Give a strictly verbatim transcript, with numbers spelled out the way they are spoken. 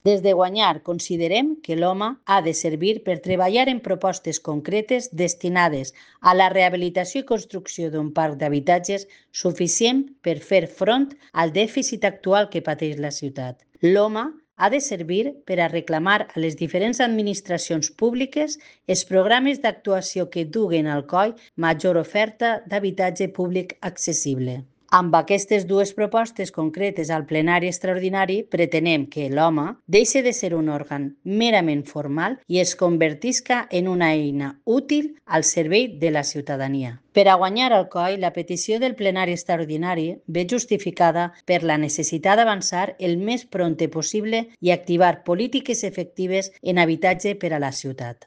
Des de Guanyar considerem que l'home ha de servir per treballar en propostes concretes destinades a la rehabilitació i construcció d'un parc d'habitatges suficient per fer front al dèficit actual que pateix la ciutat. L'home ha de servir per a reclamar a les diferents administracions públiques els programes d'actuació que duguen al coll major oferta d'habitatge públic accessible. Amb aquestes dues propostes concretes al plenari extraordinari pretenem que l'home deixi de ser un òrgan merament formal i es convertisca en una eina útil al servei de la ciutadania. Per a guanyar al coll, la petició del plenari extraordinari ve justificada per la necessitat d'avançar el més prompte possible i activar polítiques efectives en habitatge per a la ciutat.